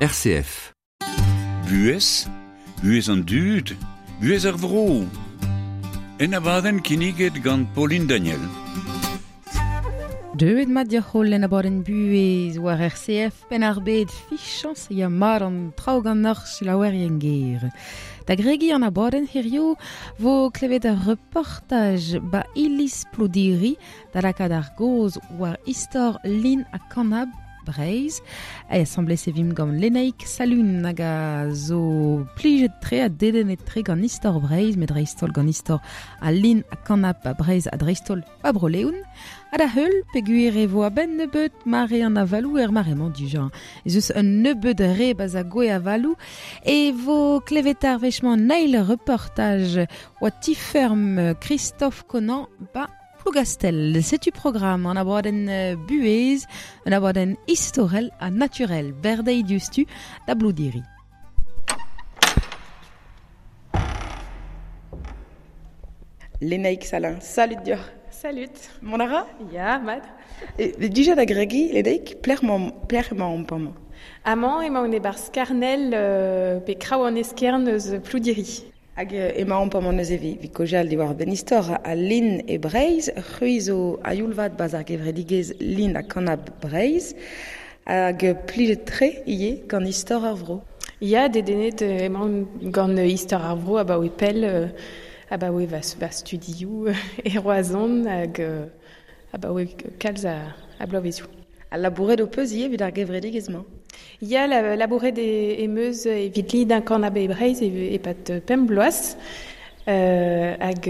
RCF. Buhez, buhez an dud, buhez ar vro. En abadenn kinniget gant Pauline Daniel. Deuet mat dioc'h en abadenn buhez war RCF penn ar bed fichañs ya mat an traoù ganeoc'h selaouerien ger. Da gregiñ an abadenn hirio vo klevet ur reportaj ba iliz Plodiri da lakaat ar gaoz war istor lin ha kanab Breizh. E asambles e vimp gant Lenaig Salun hag a zo plijet tre ha dedennet tre gant istor Breizh, met dreist-holl gant istor al lin ha kanab a Breizh ha dreist-holl ba Bro-Leon. Ha da heul, peogwir e vo a-benn nebeut mare an avaloù er mare-mañ dija. Ez eus un nebeut re ba'z a gwe avaloù e vo klevet ar wech-mañ an eil reportaj oa ti-feurm Christophe Conan ba Plougastel. Setu programm an abadenn buhez, un abadenn istorel ha naturel berdeiñ diouzhtu da Bloudiri. Lenaig Salin, salut deoc'h. Salut. Mont a ra? Ya, mat. E, dija da gregiñ, Lenaig, pelec'h emañ amañ? Amañ emaon e-barzh Karnel pe Kraou an Eskern eus Ploudiri. Hag emaomp amañ neuze evit kaozeal diwar-benn istor al lin e Breizh. C'hwi zo a-youl-vat 'barzh ar gevredigezh Lin ha Kanab Breizh. Hag plijet-tre ivez gant istor ar vro. Ya, dedennet emaon gant istor ar vro abaoe pell, abaoe va studioù e Roazhon hag abaoe kalz a bloavezioù. Ha labouret ho peus ivez evit ar gevredigezh-mañ? Ya, labouret em eus evit lidañ kanab e Breizh e-pad pemp bloaz. Hag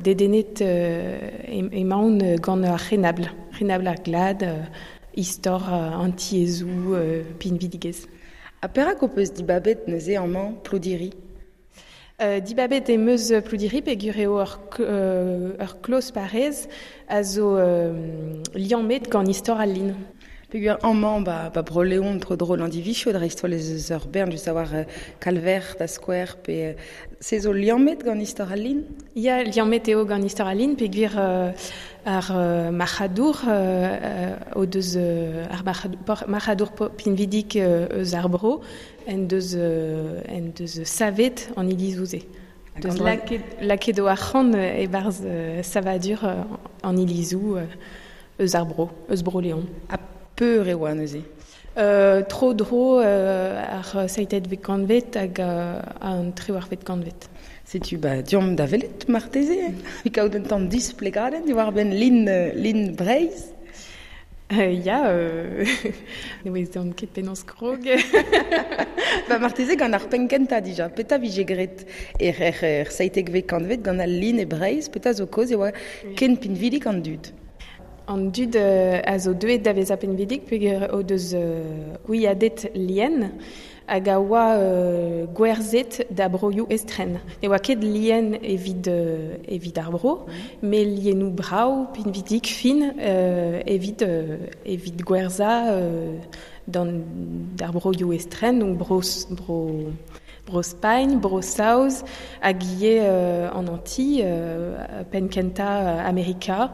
dedennet emaon gant ar c'henabl, c'henabl ar glad, istor an tiezoù, pinvidigezh. Ha perak ho peus dibabet neuze amañ Ploudiri? Dibabet em eus Ploudiri peogwir eo ur kloz parrez a zo liammet gant istor al lin. Peogwir amañ ba Bro-Leon tro-dro Landivizio dreist-holl ez eus ur bern just a-walc'h Kalver da skouer pe se zo liammet gant istor al lin? Ya, liammet eo gant istor al lin peogwir ar marc'hadour o deus ar marc'hadour pinvidik eus ar bro en deus en deus savet an ilizoù-se. Deus lakaet o arc'hant e-barzh savadur an ilizoù eus ar bro, eus Bro-Leon. Ha peur e oa neuze? Tro-dro ar seizhvet kantved hag an triwec'hvet kantved. Setu ba deomp da welet marteze, evit kaout un tamm displegadenn diwar-benn lin Breizh. Ya, ne ouezan ket penaos krog. Ba marteze gant ar penn kentañ dija. Petra vije graet er seitekvet kantved gant al lin e Breizh? Petra zo kaoz e oa ken pinvidik an dud? An dud a zo deuet da vezañ pinvidik peogwir o deus gwiadet lien hag a oa gwerzhet da broioù estren. Ne oa ket lien evit evit ar vro, met lienoù brav, pinvidik, fin evit evit gwerzhañ d'ar broioù estren, donc bro bro Bro-Spagn, Bro-Saoz hag ivez an Antilles, penn-kentañ Amerika.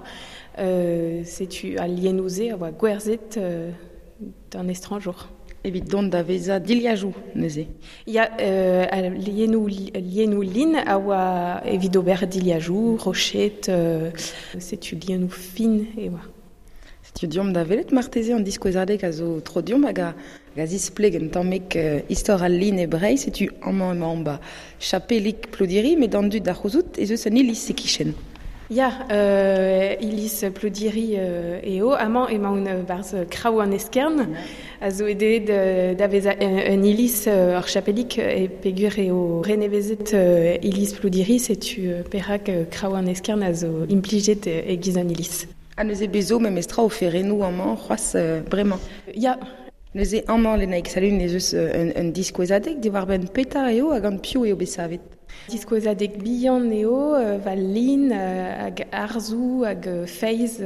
Setu al lienoù-se a oa gwerzhet d'an estrañjour. Evit dont da vezañ dilhajoù neuze? Ya, al lienoù, lienoù lin a oa evit ober dilhajoù, roched, setu lienoù fin e oa. Setu deomp da welet marteze an diskouezadeg a zo tro deomp hag a zispleg un tammig istor al lin e Breizh. Setu amañ emaomp ba chapelig Ploudiri, met d'an dud da c'houzout ez eus un iliz e-kichen. Ya, iliz Ploudiri eo. Amañ emaon 'barzh Kraou an Eskern, a zo deuet da vezañ un iliz ur chapelig e peogwir eo renevezet iliz Ploudiri, setu perak Kraou an Eskern a zo implijet e-giz un iliz. Ha neuze bez zo memestra oferennoù amañ c'hoazh bremañ? Ya. Neuze amañ, Lenaig Salun, ez eus un diskouezadeg diwar-benn petra eo ha gant piv eo bet savet? Diskouezadeg bihan eo, va lin hag arzoù hag feiz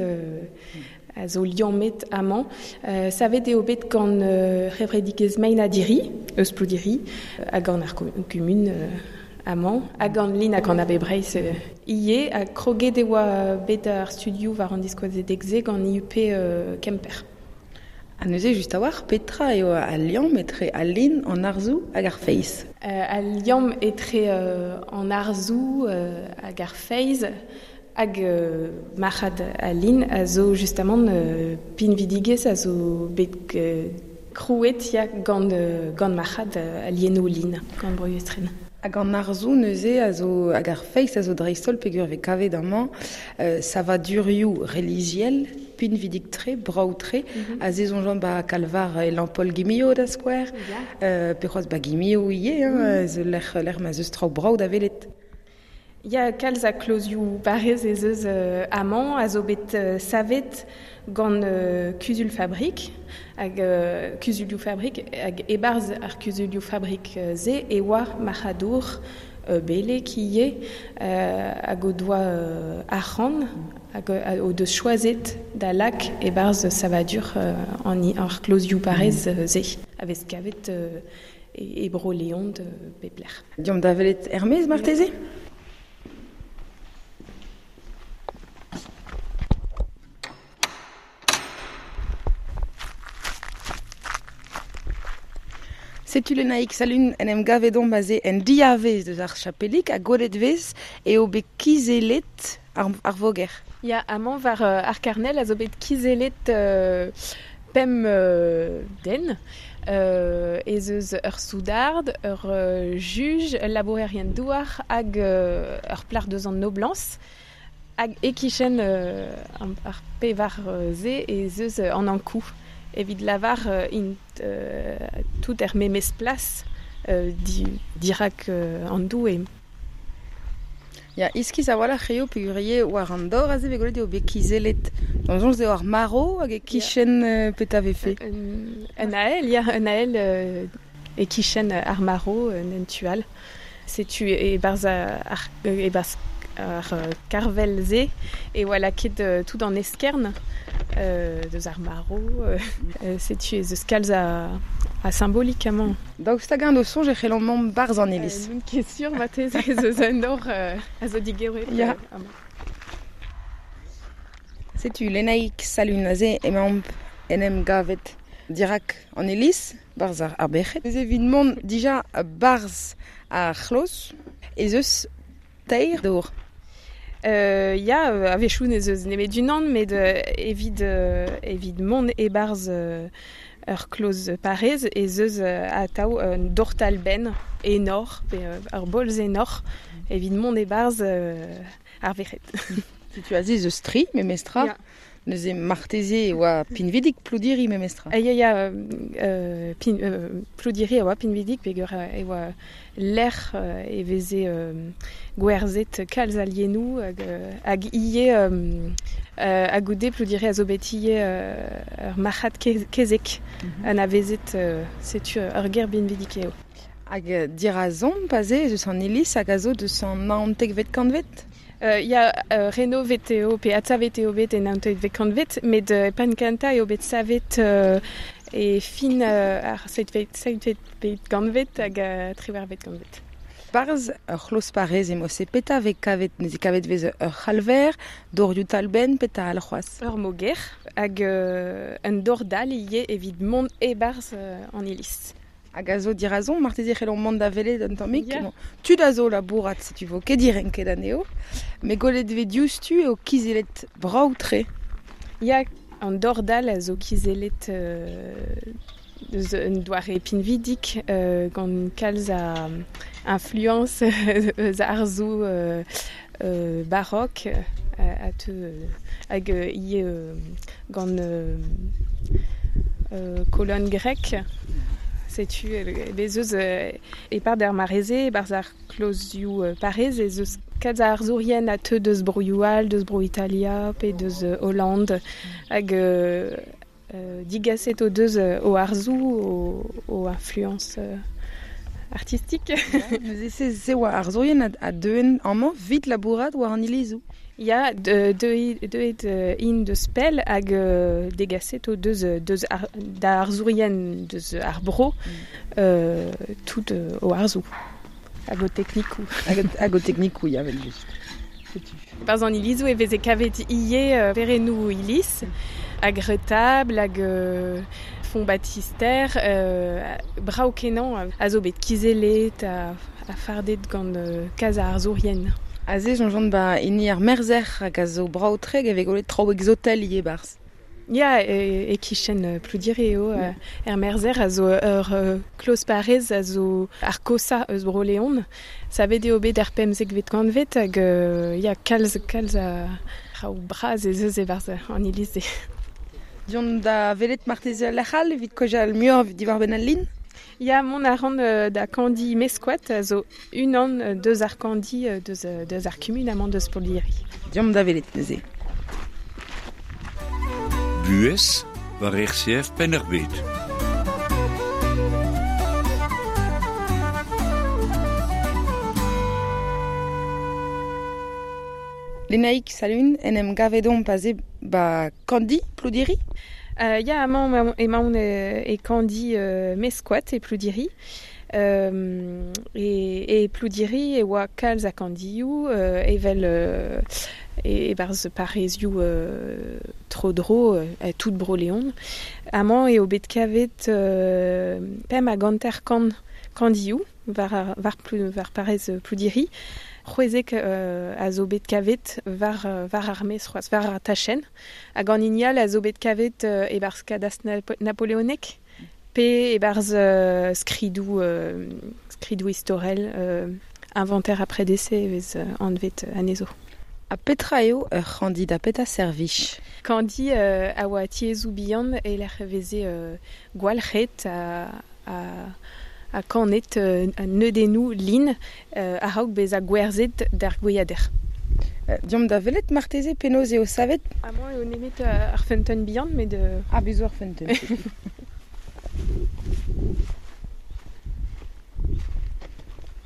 a zo liammet amañ. Savet eo bet gant c'hevredigezh Mein-ha-Diri, eus Ploudiri, ha gant ar kumun amañ, ha gant Lin hag an AB Breizh ivez. Ha kroget e oa bet ar studioù war an diskouezadeg-se gant IUP Kemper. Ha neuze just a-walc'h petra eo al liamm etre al lin, an arzoù hag ar feiz? Al liamm etre an arzoù hag ar feiz hag marc'had al lin a zo justamant pinvidigezh a zo bet krouet ya gant marc'had al lienoù lin, gant broioù estren. Hag an arzoù neuze a zo hag ar feiz a zo dreist-holl peogwir e vez kavet amañ savadurioù relijiel pinvidik-tre, brav-tre, a se soñjan ba kalvar e Lampaul-Guimilliau da skouer, pe c'hoazh ba Guimilliau ivez, hein, zo lec'h ma 'z eus traoù brav da welet. Ya, kalz a klozioù parrez ez eus amañ a zo bet savet gant Kuzul Fabrik hag Kuzulioù Fabrik hag e-barzh ar Kuzulioù Fabrik se e oa marc'hadour beleg ivez hag o doa arc'hant hag o deus choazet da lak e-barzh savadur an ar klozioù parrez se a vez kavet e Bro-Leon pep lec'h. Deomp da welet er-maez marteze? Setu Lenaig Salun en em gavet omp aze en diavez deus ar chapelig ha gwelet vez eo bet kizellet ar voger. Ya, amañ war ar karnel a zo bet kizellet pemp den. Ez eus ur soudard, ur juj, ul labourerien douar hag ur plac'h deus an noblañs. Hag e-kichen ar pevar se ez eus an Ankou. Evit lavar int tout er memes plas dirak an doue. Ya, iskis a-walc'h eo peogwir eo war an dor aze vez gwelet eo bet kizellet. D'am soñj eo ar marv hag e-kichen petra vefe. Un ael, ya, un ael e-kichen ar marv en tu all. Setu e-barzh ar karvel-se e oa lakaet tout an eskern deus ar marv. Setu ez eus kalz a symbolik amañ. Daoust hag-eñ d'ho soñj e c'hellomp mont 'barzh an iliz? N'on ket sur marteze ez eus un nor a zo digoret amañ. Setu Lenaig Salun aze emaomp en em gavet dirak an iliz, 'barzh ar Berc'hed. Neuze evit mont dija 'barzh ar c'hloz ez eus teir dor. Ya, a-wechoù n'ez eus nemet unan, met evit mont e-barzh ur kloz parrez ez eus atav un dortal-benn enor, pe ur bolz enor, evit mont e-barzh ar verc'hed. Setu aze ez eus tri, memestra. Ya. Neuze marteze e oa pinvidik Ploudiri memestra. Ya, ya, Ploudiri a oa pinvidik peogwir e oa lec'h e veze gwerzhet kalz a lienoù hag ivez ha goude Ploudiri a zo bet ivez ur marc'had kezeg anavezet setu ur ger pinvidik eo. Hag dirazomp aze ez eus an iliz hag a zo deus an naontekvet kantved? Ya, renovet eo pe adsavet eo bet en naontekvet kantved, met penn kentañ eo bet savet e fin ar seizhvet kantved hag triwec'hvet kantved. Barzh ur c'hloz parrez emañ se petra vez kavet, neuze kavet vez ur c'halver, dorioù talbenn, petra all c'hoazh? Ur moger hag un dor-dal ivez evit mont e-barzh an iliz. Hag a zo dirazomp, marteze c'hellomp mont da welet un tammig. Yeah. Bon, tud a zo labourat, setu vo ket direnket anezho. Met gwelet vez diouzhtu eo kizellet brav-tre. Ya, an dor-dal a zo kizellet eus un doare pinvidik gant kalz a influence eus arzoù barok a teu hag ivez gant colonne grecque. Setu bez eus e-pad ar mare-se, e-barzh ar klozioù parrez, ez eus kalz a arzourien a teu deus broioù all, deus bro Italia pe deus Hollande, hag digaset o deus o arzoù, o influence artistique. Neuze se oa arzourien a deuen amañ 'vit labourat war an ilizoù. Ya, deuet int deus pell hag degaset o deus da arzourien deus ar bro tout o arzoù hag o teknikoù. Hag o teknikoù, ya, vel just. Setu. Barzh an ilizoù e veze kavet ivez perennoù iliz hag retabl hag font baptister, brao kenan a zo bet kizelet, a fardet gant kaz ar zourien. Aze, jonjont ba hini ar merzer hag a zo brao treg evek golet traoù exotel ie barz. Ya, e kichen Ploudire eo, er merzer a zo ur kloz parez a zo ar kosa eus Bro-Leon. Savet eo bet ar pemzekvet kanvet hag ya, kalz a raou braz ez eus e-barzh an iliz. Dion da velet marteze lec'hal evit kojal muioc'h diwar benn al lin? Ya, mont a ran da kandi Mescoat a zo unan deus ar kandi deus ar kumun amañ deus Ploudiri. Diomp da velet neuze. Buhez war RCF Penn-ar-Bed. Lenaik Salun, en em gavedon paze ba kandi Ploudiri? Ya, amañ emaon e kandi Mescoat e Ploudiri. E Ploudiri e oa kalz a kandioù evel e barz parezioù tro-dro tout Bro-Leon. Amañ eo bet kavet pemp hag hanter kant kandioù war parez Ploudiri. C'hwezek a zo bet kavet war ar mez c'hoazh, war ar tachenn. Hag an hini all a zo bet kavet e-barzh kadastr napoleonek pe e-barzh skridoù istorel inventaire après décès e vez anvet anezho. A petra eo ur c'handi da petra servij? Kandi a oa tiezou bihan e lec'h veze gwalc'het a kanet neudennoù lin a-raok bezañ gwerzhet d'ar gwiader. Diomp da velet marteze penaos eo savet? Amañ eo nemet ar feunteun bihan, met... Ah, bez zo ar feunteun.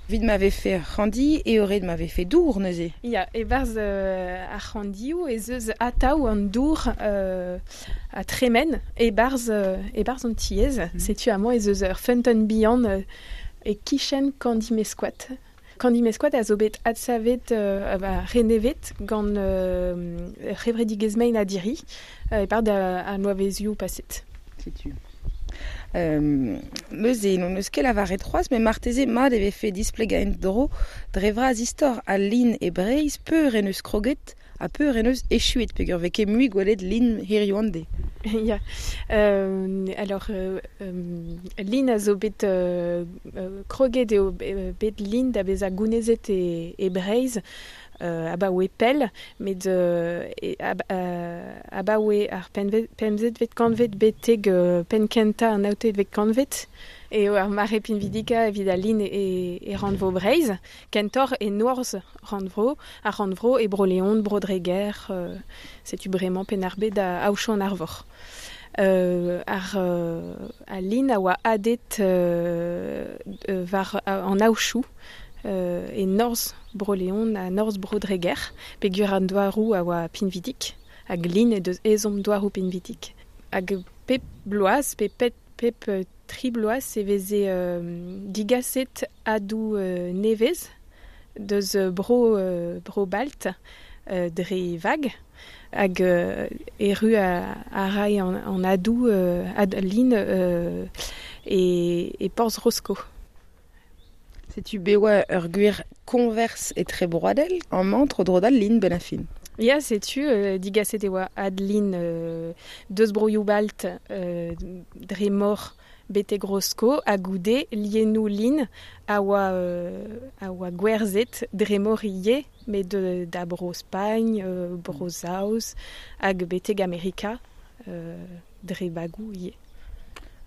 Vit ma vefe ar c'handi eo ret ma vefe dour neuze. Ya, e-barzh ar c'handioù ez eus atav an dour a tremen e-barzh an tiez. Setu amañ ez eus ur feunteun bihan e kichen kandi Mescoat. Kandi Mescoat a zo bet adsavet renevet gant c'hevredigezh mein a diri e-pad an bloavezioù paset. Setu. Neuze, non eus ket lavaret c'hoazh, met marteze mat e vefe displegañ en-dro dre vras istor al lin e Breizh peur en eus kroget ha peur en eus echuet peogwir vez ket mui gwelet lin hiziv an deiz. Ya, alors lin a zo bet kroget eo bet lin da bezañ gounezet e Breizh abaoe pell, met abaoe ar pemzekvet kantved betek penn kentañ an naontekvet kantved eo ar mare pinvidika evit al lin e rannvro Breizh, kentoc'h e norzh rannvro, ar rannvro e Bro-Leon, Bro-Dreger, setu bremañ Penn-ar-Bed a aochañ an arvor. Ar lin a oa adet war an aochoù e norzh Bro-Leon ha norzh Bro-Dreger, peogwir an douaroù a oa pinvidik, hag lin e deus ezhomm douaroù pinvidik. Hag pep bloaz, pe pep tri bloaz e veze digaset adoù nevez deus Bro-Balt dre vag, hag erru a ray an adoù ad lin e porzh Rosko. Setu bet oa ur gwir koñvers etrebroadel amañ tro-dro d'al lin benn ar fin. Ya, setu digaset e oa ad lin deus broioù Balt dre mor betek Rosko ha goude liennoù lin a oa gwerzhet dre mor ivez, met da Bro-Spagn, Bro-Saoz hag betek Amerika dre bagoù ivez.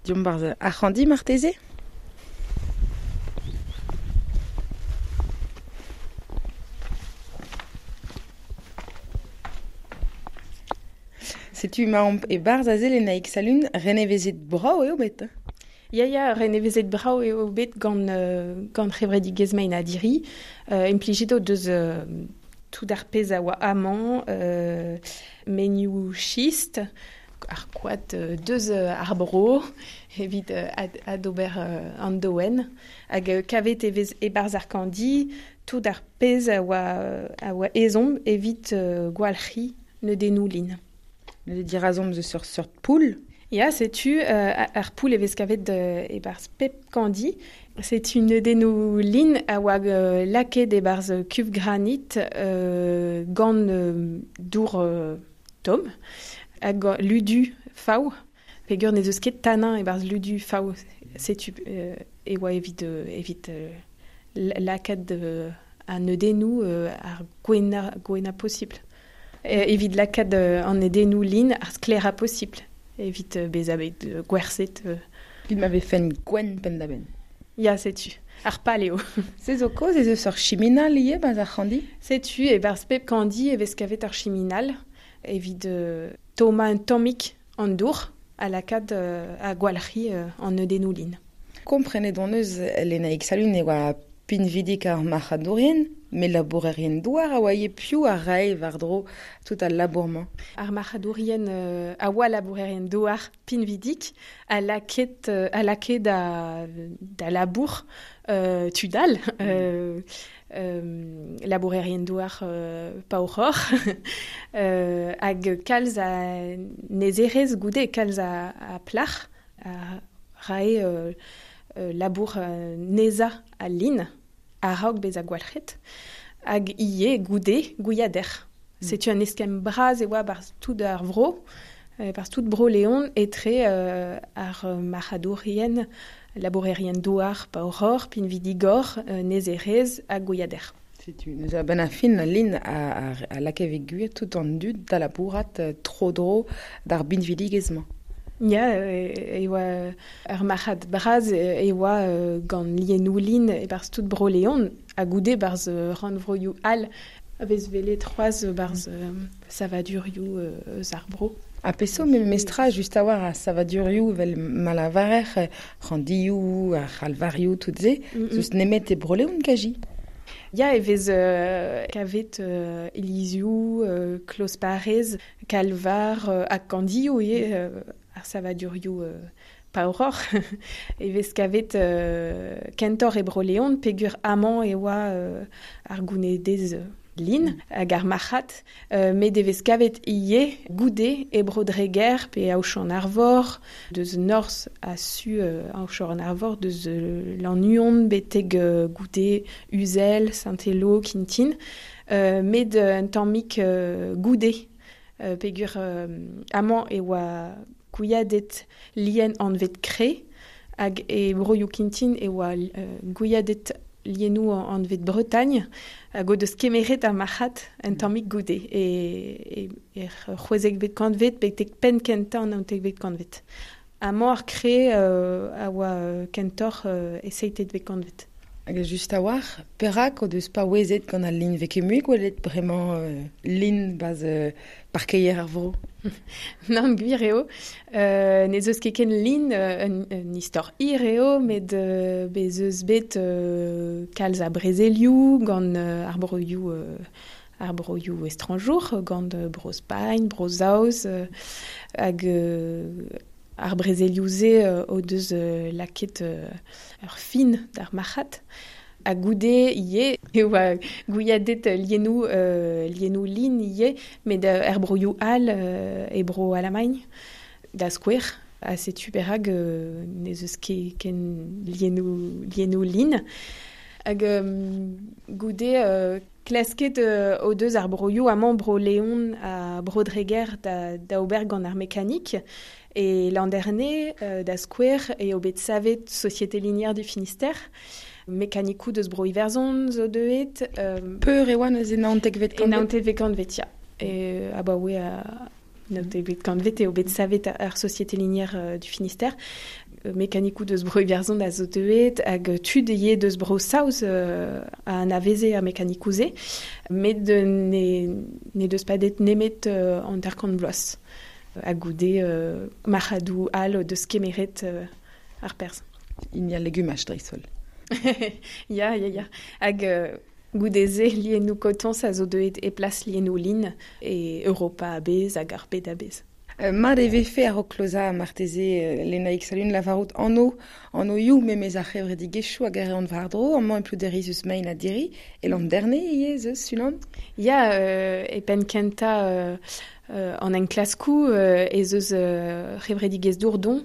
Diomp barzh ar c'handi marteze? Setu emaomp e-barzh aze Lenaig Salun, renevezet brav eo bet. Ya, renevezet brav eo bet gant c'hevredigezh mein a diri. Implijet o deus tout ar pezh a oa amañ, menioù schist, ar koad deus ar bro, evit adober an doen. Hag kavet e vez e-barzh ar kandi, tout ar pezh a oa ezhomm evit gwalc'hiñ neudennoù lin. Neuze dirazomp eus ur seurt poull. Ya, setu ar poul e vez kavet e-barzh pep kandi. Setu neudennoù lin a oa lakaet e-barzh kuv granit gant dour tomm hag ludu faou. Peogwir n'ez eus ket tanin e-barzh ludu faou. Setu e oa evit lakaat an neudennoù ar gwennañ posibl. Evit lakaat an neudennoù lin ar sklaerañ posibl. Evit bezañ bet gwerzhet. Evit ma vefen gwenn penn-da-benn. Ya, setu. Ar pal eo. Se zo kaoz ez eus ur chiminal ivez 'barzh ar c'handi? Setu, e-barzh pep kandi e vez kavet ur chiminal evit tommañ un tammig an dour ha lakaat ha gwalc'hiñ an neudennoù lin. Komprenet hon eus, Lenaig Salun, e oa pinvidik ar marc'hadourien, met labourerien douar a oa ivez piv a rae war-dro tout al labour-mañ. Ar marc'hadourien a oa labourerien douar pinvidik a lakae da labour tud all. Labourerien douar paouroc'h hag kalz a nezerezh goude, kalz a plac'h a rae labour nezañ al lin a-raok bezañ gwalc'het hag ivez goude gwiader. Setu un eskemm bras e oa barzh tout ar vro, barzh tout Bro-Leon etre ar marc'hadourien, labourerien douar paouroc'h, pinvidigor, nezerezh ha gwiader. Setu neuze a-benn ar fin al lin a lakae evit gwir tout an dud da labourat tro-dro d'ar binvidigezh-mañ. Ya, e oa ur marc'had bras e oa gant liennoù lin e-barzh tout Bro-Leon ha goude barzh rannvroioù all a vez welet c'hoazh barzh savadurioù eus ar bro. Ha peseurt memestra just a-walc'h a savadurioù evel ma lavarer c'handioù, ar c'halvarioù, tout se, zeus nemet e Bro-Leon kaji? Ya, e vez kavet ilizioù, kloz-parrez, kalvar ha kandioù ivez, ar savadurioù paouroc'h. E vez kavet kentoc'h e Bro-Leon peogwir amañ e oa ar gounedez lin hag ar marc'had, met e vez kavet ivez goude e Bro-Dreger pe Aochon-Arvor, deus norzh ha su Aochon-Arvor, deus Lannuon betek goude Uzel, Saint-Elo, Kintin, met un tammig goude peogwir amañ e oa gwiadet lien anvet kre hag e broioù Kintin e oa gwiadet liennoù anvet Bretagne hag o deus kemeret ar marc'had un tammig goude e c'hwezekvet kantved betek penn kentañ an naontekvet kantved. Amañ ar kre a oa kentoc'h e seitekvet kantved. Hag just a-walc'h, perak o deus paouezet gant al lin 'vez ket mui gwelet bremañ lin 'barzh parkeier ar vro? Nann, gwir eo. N'ez eus ket ken lin, un istor hir eo, met bez eus bet kalz a brezelioù gant ar broioù estrañjour, gant Bro-Spagn, Bro-Saoz, hag ar brezelioù-se o deus lakaet ur fin d'ar marc'had. Ha goude ivez e oa gwiadet liennoù lin ivez, met er broioù all e bro Alamagn, da skouer. Ha setu perak n'ez eus ket ken liennoù lin. Hag goude klasket o deus ar broioù amañ Bro-Leon ha Bro-Dreger da ober gant ar mekanik. E Landerne, da skouer, eo bet savet Société Linière du Finistère. Mekanikoù deus Bro-Iwerzhon zo deuet. Peur e oa neuze naontekvet kantved? E naontekvet kantved, ya. E abaoe naontekvet kantved eo bet savet ar Société Linière du Finistère. Mekanikoù deus Bro-Iwerzhon a zo deuet hag tud ivez deus Bro-Saoz a anaveze ar mekanikoù-se. Met ne deus padet nemet 50 vloaz. Ha goude marc'hadoù all o deus kemeret ar perzh. Hini al legumaj dreist-holl. Ya. Hag goude-se liennoù kotoñs a zo deuet e plas liennoù lin e Europa a-bezh hag ar bed a-bezh. Mat e vefe ar o kloza marteze Lenaig Salun lavarout anno you memez ar c'hevredigezhioù hag ar an war-dro, amañ e plouderi eus mein a diri, e l'an derne ivez eus unan? Ya, e penn kentañ an enklaskoù ez eus c'hevredigezh Dourdon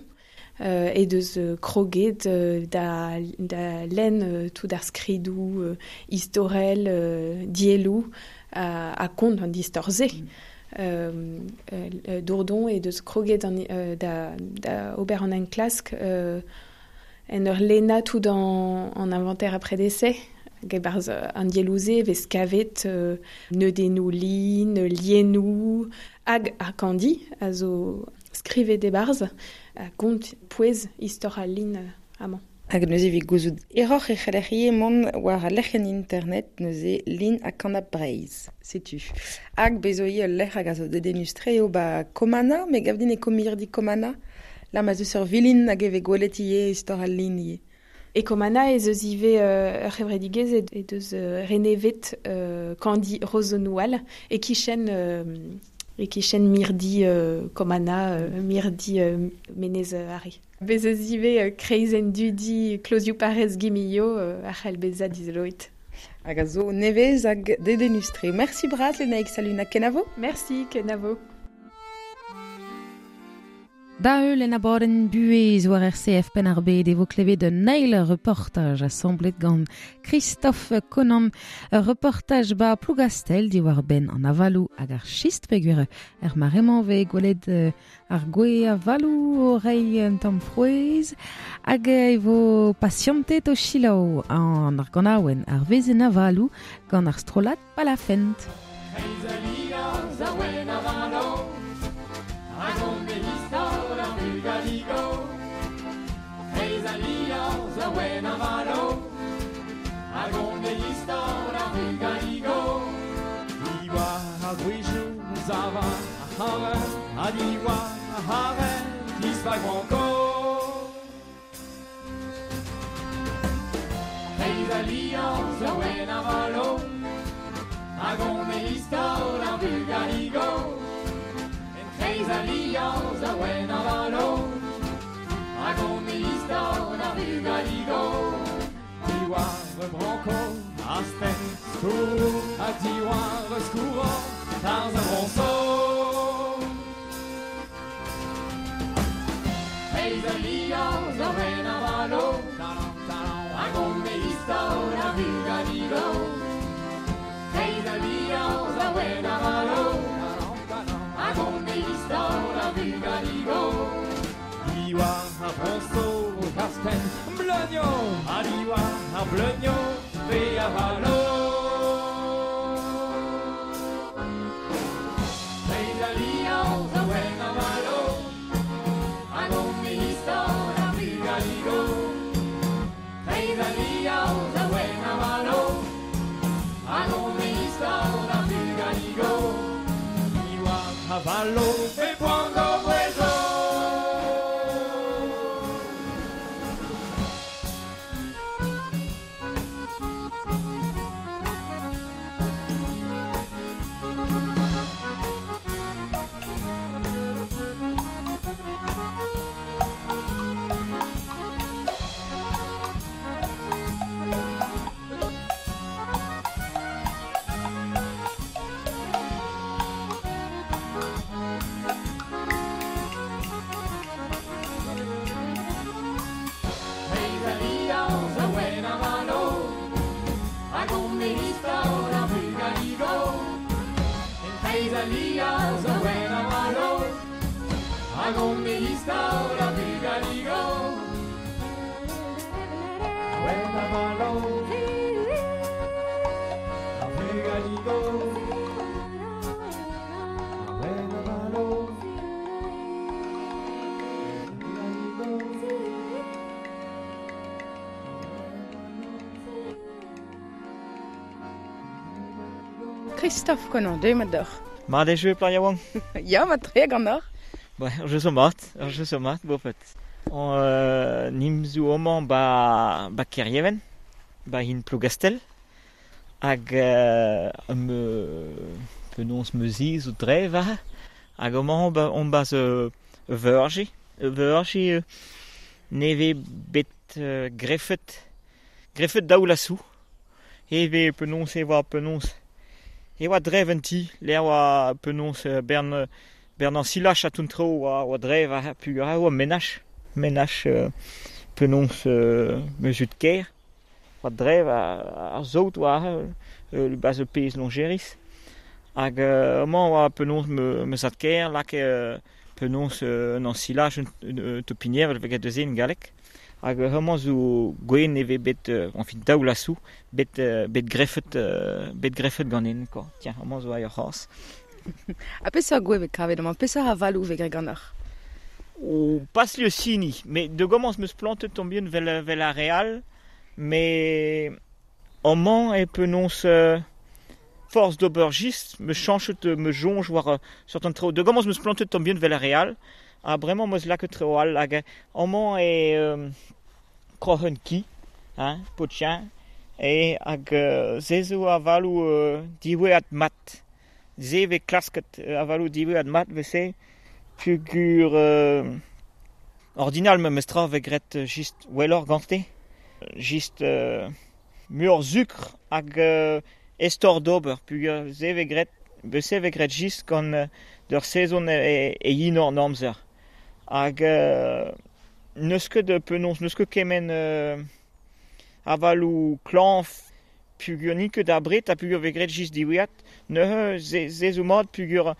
e deus kroget da lenn tout ar skridoù istorel, dielloù ha kont an distor-se. Dourdon e deus kroget da ober an enklask en ur lenna tout an inventaire après décès. Hag an diellouze vez kavet neudennoù lin, liennoù, hag ar kandi a zo skrivet e barz a gont pouez istor al lin amañ. Hag neuze evit gouzout eroc'h e c'heller ivez mont war al lec'hienn internet neuze lin ha kanab Breizh. Setu. Hag bezo ivez ul lec'h hag a zo dedennus-tre eo ba Komana, me gav din e komirdi Komana. La ma zeus ur vilin hag e vez gwelet ivez istor al lin ivez. E Komana ez eus ivez ur c'hevredigezh e deus renevet kandi Rozenoual e kichen mirdi Komana, mirdi Menez Are. Bez eus ivez kreizenn dudi Klozioù Parrez Gimillo ar c'hell bezañ dizoloet. Hag a zo nevez hag dedennus-tre. Merci bras Lenaig Saluna, kenavo? Merci, kenavo. Da heul en abadenn buhez war RCF Penn-ar-Bed e vo klevet un eil reportaj asamblet gant Christophe Conan. Ur reportaj ba Plougastel diwar benn an avaloù hag ar chist peogwir er mare-mañ vez gwelet ar gwe avaloù o reiñ un tamm frouezh hag e vo pasiantet o selaou an ar ganaouenn ar vezenn avaloù gant ar strollad Palafent. Christophe Conan, deuet mat deoc'h. Mat e jeu, plar yaouank? Ya, mat tre ganeoc'h. Ba, ur jeu zo mat, ur jeu zo mat, bopet. Nim zo amañ ba Kerieven, ba hin Plougastel, hag penaos meuzi zo dre war, Hag amañ on bas verge, verge neve bet greffet, greffet daou lasou. Heve penons e oa penons. E oa drev un ti, l'air oa penons bern bern an silach a tout tro oa drev a pugur a oa menach. Menach penons meusut ker. Oa drev ar zout oa bas e pez longeris. Hag amañ oa penons meusat ker, lak penons an silach un topinier vel deus en galek. Hag hemañ zo gwen eve bet, enfin daou lasou, bet bet greffet ganen, quoi. Tiens, hemañ zo aer c'hoazh. Ha peseurt gwe vet kavet amañ, peseurt avalou vet graet ganeoc'h? O pas le sini, mais de gomañs meus plantet tombien vel ar real, mais amañ e penons force d'aubergiste, me chanchet me jonge war certain treo. De gomañs meus plantet tombien vel ar real, ha bremañ meus lakaet treo all hag amañ e kroc'hen ki, hein, potien, e hag se zo avalou diwezhat mat. Se ve klasket avalou diwezhat mat vese pugur ordinal me mestra ve gret just wellor gante. Just mur sucre hag estor d'ober pugur se ve gret se ve gret just gant d'ur saison e yin an amzer. Hag neus ket penons, neus ket kemen avalou klañv pugur ni ket ar bret ha pugur ve gret just diwezhat. Neuze ze zo mat pugur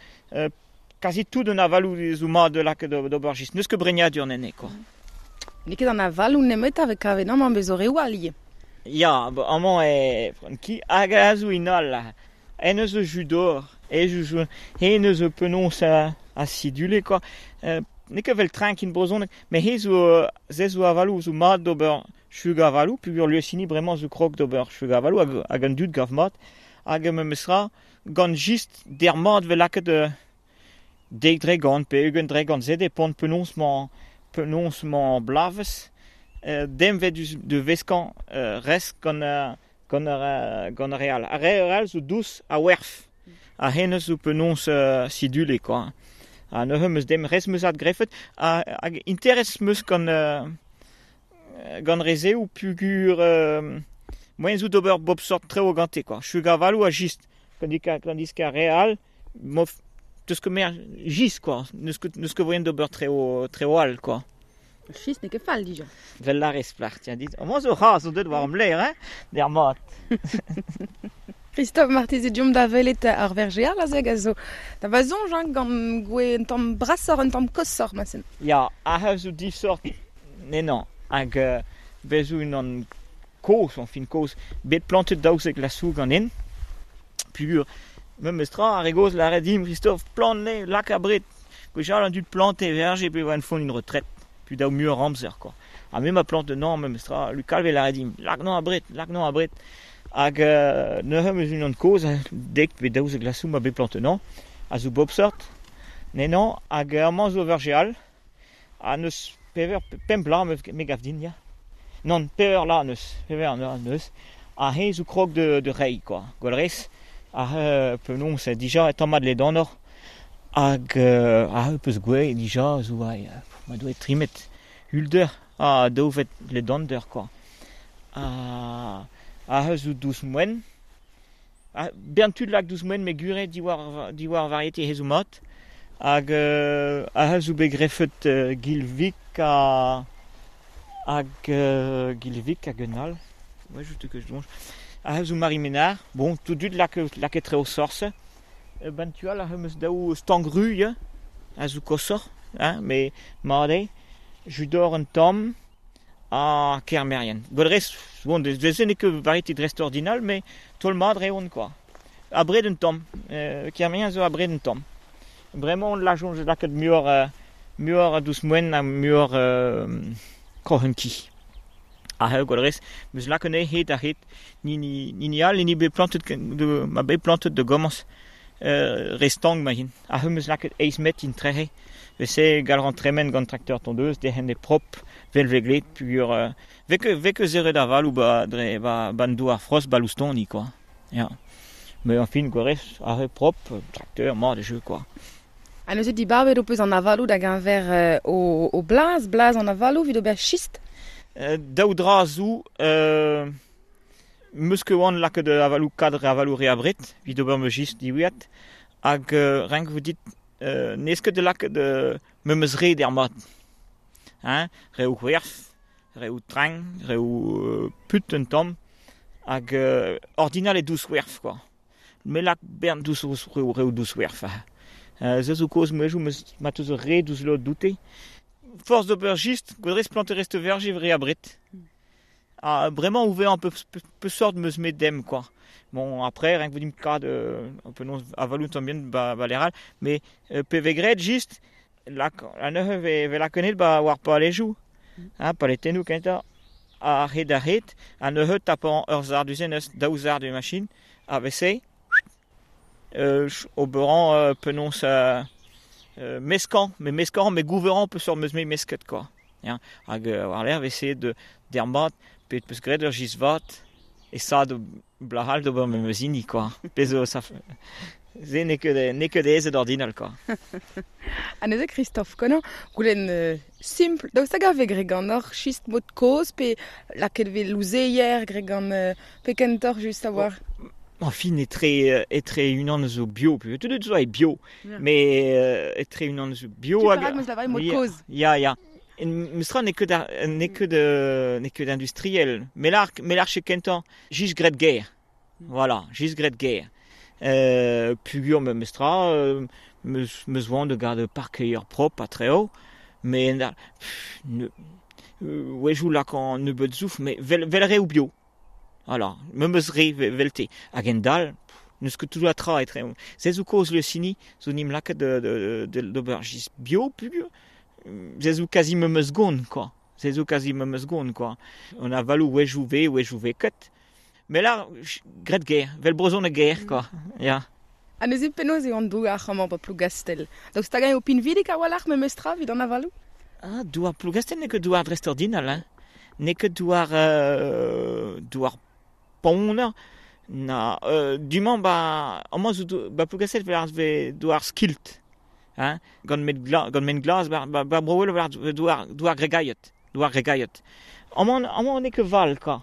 kazi tout an avalou zo mat lak d'ober just. Neus ket bregnadur nene, quoi. N'eo ket an avalou nemet a vez kavet amañ bezo reoù all ivez. Ya, amañ e ki hag a zo inal. En eus judor, e jou hen eus penons acidulé, quoi. N'eo ket vel trenk in brezhoneg, met he zo se zo avalou zo mat d'ober chug avalou, pugur liesini bremañ zo krog d'ober chug avalou hag an dud gav mat, hag me mesra gant just der mat vel lakaet dek dregant pe ugent dregant se depend penons mañ blavez, dem vet de veskan rest gant gant ar real. Ar real zo dous a werf, a hennez zo penons sidule, quoi. Ha neuze meus dem rez meus ad greffet, hag interes meus gant gant rezeoù pugur moen zo d'ober bob sort treo gante, quoi. Chug avalou a just, tandis ka real, mof teus ket mer just, quoi. Neus ket voyen d'ober treo all, quoi. Schist n'eo ket fall dija. Vel la rez plac'h, tiens, dit. Amañ zo c'hoazh zo deut war am ler, hein, der mat. Christophe marteze diomp da welet ar vergeal a zeg a zo. Da va soñj, hein, gant gwe un tamm brasoc'h, un tamm kosoc'h, ma sen. Ya, a zo disort nenañ, hag bezo unan kozh, enfin kozh, bet plantet daouzek lasou ganin. Pugur, me mestra ar re gozh lâret dimp, Christophe, plant ne, lak a bret. Gwechall an dud plante verge pe oa en font une retraite. Puis daou mur amzer, quoi. Ha me ma plante nan, me mestra, Lucal ve lâret dimp, lak nan a bret, lak nan a bret. Hag neuze meus unan kozh, dek pe daouzek lasou ma bet plante nan, a zo bop sort, nenañ, hag amañ zo vergeal, ha neus pever, pemp la me gav din, ya. Non, pever la neus, pever la neus, ha he zo krog de rei, quoi. Gwell rez, ha penons dija e tamm mat le danor, hag ha peus gwe dija zo ma doe trimet hulder, ha daouvet le dander, quoi. Ha zo dous moen. Ha bern tud lak dous moen me gure diwar variété he zo mat. Hag ha zo bet greffet gilvik ha hag gilvik hag un all. Ouais, juste que je donge. Ha zo Marie Ménard. Bon, tout dud lak etre o sorse. Ben tu al ha meus daou stangru, ya, a zo kosoc'h, hein, mais mat eo, judor un tamm ha kermerien. Gwell rez, bon, de n'eo ket variété drest ordinal, mais tol mat reont, quoi. A bred un tamm, kermerien zo a bred un tamm. Bremañ on lajonj lakaet muioc'h dous moen ha muioc'h kroc'hen ki. Ha gwell rez, meus lakaet anezhe hed a hed, ni all, ni bet plantet de, ma bet plantet de gomañs restang ma hin. Ha meus lakaet eizh met in trehe. Vese gal ran tremen gant trakteur tondeuse, dehen e prop, vel veglet, pugur veke zeret aval ou ba dre ba ban douar frost ba loustoni, quoi. Ya. Mais enfin, gwell rez, ar prop, trakteur, mat de jeu, quoi. Ha neuze dibabet ho peus an avalou da geñver o blaz, blaz an avalou evit ober chist? Daou dra zo, meus ket oan lakaet avalou kadr avalou re abred, evit ober ma chist diwezhat, hag renk vo dit n'ez ket da lakaet memes re d'ar mat. Hein, reoù c'hwerv, reoù trenk, reoù put un tamm, hag ordinal e dous c'hwerv, quoi. Me lak bern dous reoù dous c'hwerv. Se zo kaoz mouezhioù ma teus ur re dous lod doute. Force d'ober chist, gwadrez planterez te verje re abred. Ah, bremañ ouvert un peu, peu sort meus met dem, quoi. Bon, après, rien que vous dites kad, un peu non avalou tam bien ba, ba leral, mais pe vegret just, lak, an neuze ve lakenet ba war pa alejou. Hein, pa letennou kenta, a hed a hed, an neuze tapan ur zar du zen eus daou zar de machine, a vese, oberan penons meskan, mais meskan, mais gouveran peu sur meus me mesket, quoi. Ya, hag war l'air vese de dermat, pe peus graet ur jizvat, e sa de blahal d'ober me meus hini, quoi. Pezo sa ze n'eo ket aezet ordinal, quoi. Ha neuze Christophe Conan, goulenn simpl, daoust hag a vez graet ganeoc'h chist mod kozh, pe lakaet vez louzeier graet gant pe kentoc'h just a war. Enfin, etre unan zo bio, pe tout zo e bio, mais etre unan zo bio hag meus lavaret mod kozh. Ya, ya. Mestra n'eo ket industriel. Melar che kentañ, jis graet ger. Voilà, jis graet ger. Pugur me mestra, meus oan de gade parkeier prop a treo, mais wejou lak an nebeut zouf, mais vel re ou bio. Voilà, me meus re velte. Hag en dal, n'eus ket tout a tra etre. Se zo kaoz le sini, zo nim lakaet d'ober jis bio, pugur. Se zo kazi me meus gont, quoi. Se zo kazi me meus gont, quoi. On a valou wejou ve ket. Mais là, graet ger, vel brezhon a ger, quoi. Ya. Ha neuze penaos eo an douar amañ ba Plougastel. Daoust hag eo pinvidik a-walc'h memes tra evit an avalou? Ah, douar Plougastel n'eo ket douar dreist-ordinal, hein. N'eo ket douar douar ponner, na du-mañ ba amañ zo ba Plougastel ve douar skilt, hein, gant men glas ba Bro-Ouel douar douar gregaiet, douar gregaiet. Amañ n'eo ket val, quoi.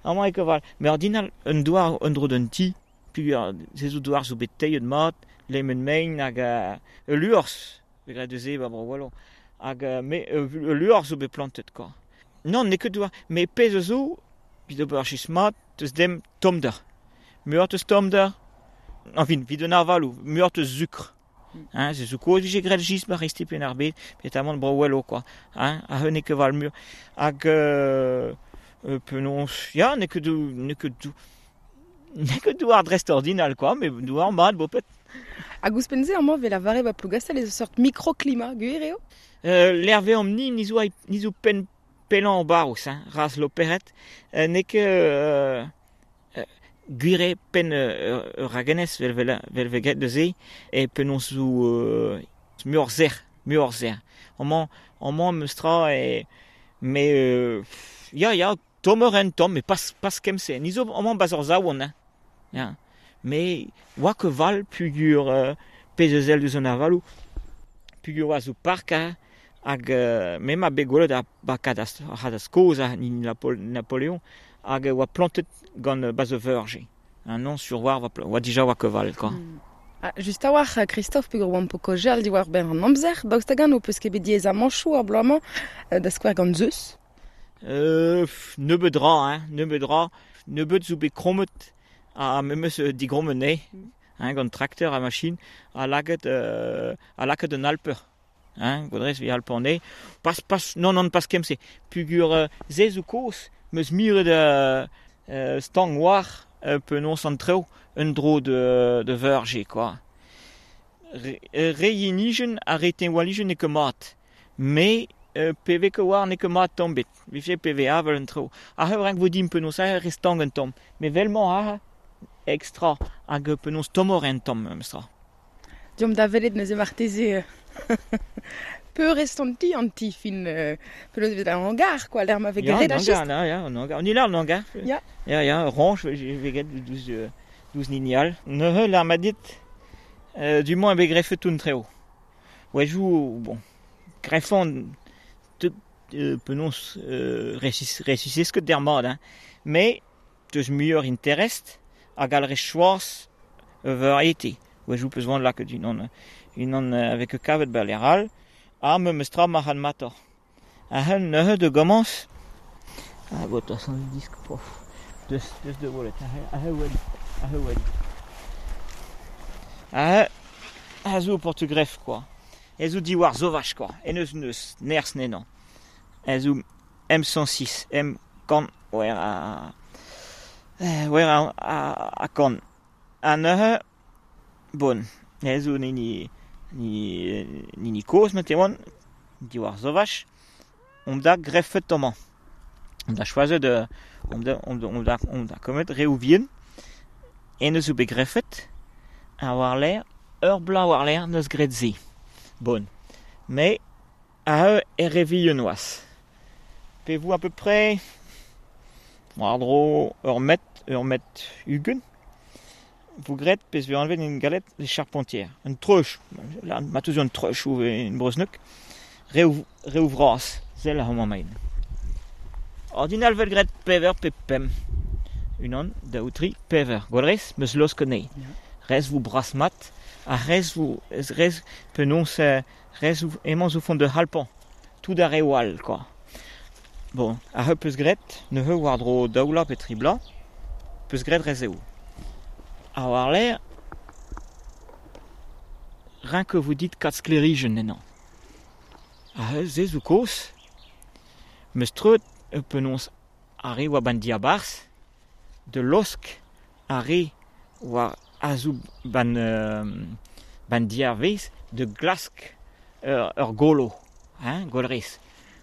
Amañ eo ket val. Mais ordinal un douar un dro d'un ti, puis se zo douar zo bet teilhet mat, lemmen mein hag ul luors, graet deus ba Bro-Ouel, hag me ul luors zo bet plantet, quoi. Non, n'eo ket douar, mais pezh zo evit ober chist mat, teus dem tommder. Muioc'h teus tommder, enfin, evit un avalou, muioc'h teus sucre. Hein, se zo kozh vije graet jist ba resti pen ar bed, petamant Bro-Ouel, quoi. Hein, ha n'eo ket val mur. Hag penaos, ya, n'eo ket douar dreist-ordinal, quoi, mais douar mat, bopet. Hag ouzhpenn-se amañ vel lavaret ba Plougastel ez eus seurt mikroklimat, gwir eo? L'herve am ni, ni zo pen pellañ barrouz, hein, raz loperet, n'eo ket gwire pen ragenez vel veget de ze, e penaos zo muioc'h zer. Amañ meus tra e mais ya ya tommer en tomm, mais pas kem-se. Ni zo amañ bas ur zaouan, hein. Ya. Mais oa ket val pugur pezh eus el deus an avalou, pugur oa zo park, hein, hag me ma bet gwelet a ba kadaz kozh ha ni Napoléon, hag oa plantet gant bas verge. Un non sur war oa dija oa ket val, quoi. Ah, just a-walc'h, Christophe, peogwir oamp o kaozeal diwar benn an amzer, daoust hag-eñ ho peus ket bet diaezamanchoù ar bloaz-mañ da skouer gant Zeus? Nebeut dra, hein, nebeut dra. Nebeut zo bet krommet ha memes digrommet ne, hein, gant trakteur ha machine, ha lakaet un alper. Hein, gwadrez vi alper ne. Pas, non, pas kem-se. Pugur se zo kozh, meus miret stang war penaos an treo un dro de verge, quoi. Re yenijen ha re tenwalijen n'eo ket mat. Mais PV ket war n'eo ket mat tamm bet. Vije PV avel un treo. Ha renk vo din penaos ha re stang un tamm. Mais velmañ ha extra hag penaos tommor en tamm mestra. Diomp da welet neuze marteze peurrest an ti an ti fin penaos vet an hangar, quoi, l'air ma vez graet a chist. Ya, an hangar. On y an hangar. Ya. Ya, ya, ranch, vez graet douz ninial. Neuze l'ar ma dit, du moins bet greffet tout treo. Wejou, bon, greffon te penons resisses ket der mat, hein. Mais deus muioc'h interest hag al re choaz variété. Wejou peus vant lakaet unan avec kavet ba leral, ha me meus tra marc'had mator. A hen neuze de gomañs, ah, bo, toa son disk, pof, deus de welet, a he wel, a he wel. A he, a zo portugref, quoi. E zo diwar zovach, quoi. E neus nerz nenan. E zo M106, M kan, wer a... Wer a kan. A neuze, bon, e zo ni koz, ma te oan, diwar zovach, on da greffet amañ. On da choazet, on da kommet reoù vihan, en eus zo bet greffet, a war l'air, ur bla war l'air neus graet se. Bon. Mais, a eux e re vihan oaz. Pe vous à peu près, war dro ur met ugent, vous gret pez vez enlevé une galette les charpentières. Un treuch, là, ma teus un treuch ou une brosneuk, reouvras, zel a homañ main. Ordinal vel gret pever pe pem. Unan, daou, tri, pever. Gwell rez, meus losk anezhi. Rez vous bras mat, ha rez vous, rez penons, rez vous, emañ zo font de halpan. Tout ar re wall, quoi. Bon, a heu peus gret, ne heu war dro daoula pe tri bla, peus gret rez eo. A war l'air, rien que vous dites kat sklerijen ennañ. A heu ze zo koz, meus treut penons a re oa ban diabarzh, de losk a re oa azou ban diavez de glask ur golo, hein, golrez.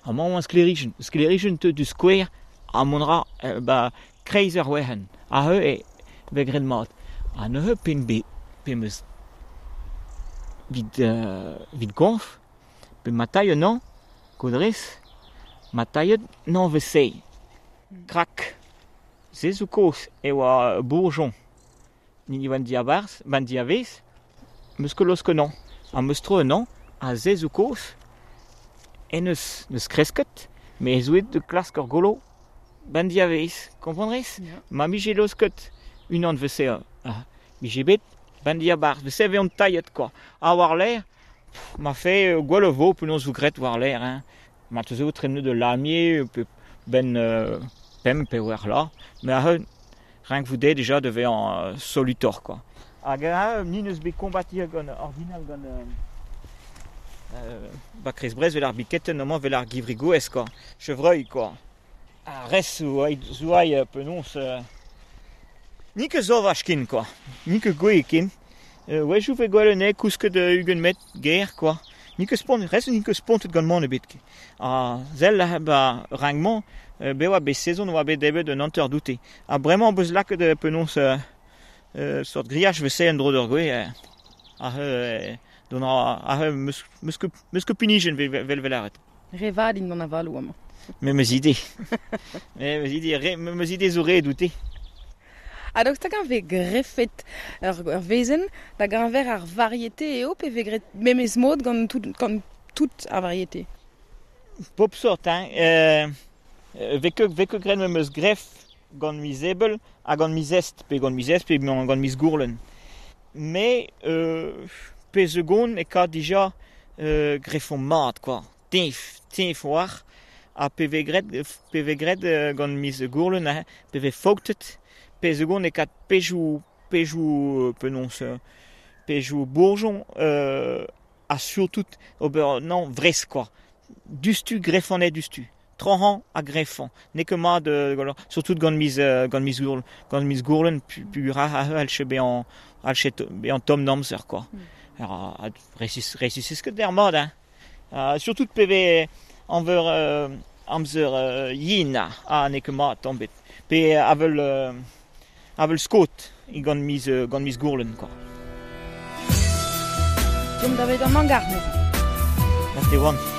Amañ oan sklerijen. Sklerijen teu du skouer a mont ra ba kreiz ur werenn. A heu e ve graet mat. Ha neuze pen be pe meus vid goñf, pe ma tailh an kodrez, ma tailhet n'an vez se. Krak. Se zo koz e oa bourgeon. Ni ban diabarzh, ban diavez, meus ket losk an. Ha meus tro an a se zo koz, en neus kresket, me ez oet de klask ur golo ban diavez, komprendrez? Yeah. Ma mije losket unan vese, mije bet ban diabarzh, vese ve an tailhet, quoi. Ha war l'air, ma fe gwell vo penaos vous gret war l'air, hein. Ma teus eo tremne de lamier, pe ben pem pe war la, mais a rien que vous dé déjà devait en solutor, quoi. Hag a ni neus bet kombatir gant ordinal gant ba krez brez vel ar biketten amañ vel ar givrigoez, quoi. Chevreuil, quoi. A res zouai penons ni ket zovach kin, quoi. Ni ket gwe kin. Wejou ve gwell ane kousket ugent met ger, quoi. Ni ket spont, res ni ket spontet gant man ebet. A zel ba rangman be oa bet sezon oa bet debet un hanter doute. Ha bremañ beus lakaet penons sort grillage vese en dro d'ur gwe. A don a meus ket pinijen vel vel aret. Re vat int an avalou amañ. Me meus ide. Me meus ide zo re doute. Ha daoust hag an vez greffet ur vezen da gañver ar variété eo pe vez gret memes mod gant tout ar variété? Pop sort, hein. Vez ket gret me meus greff gant miz ebel ha gant miz est, pe gant miz est, pe gant miz gourlen. Mais pe segon e ka dija greffon mat, quoi. Tinf war, ha pe vez gret gant miz gourlen, hein, pe vez faotet, pe segon e kat pejou penons, pejou bourgeon, ha surtout ober, non, vrez, quoi. Dustu greffonet dustu. Trohan a greffon. N'eo ket mat, surtout gant miz gourlen, pu ra al che bean tom namzer, quoi. Alors, resis ket der mat, hein. Surtout pe vez anver amzer yin, ha n'eo ket mat tombet. Pe avel skot i gant miz gourlen, quoi. Deomp da vet an hangar, neuze. Na te oan.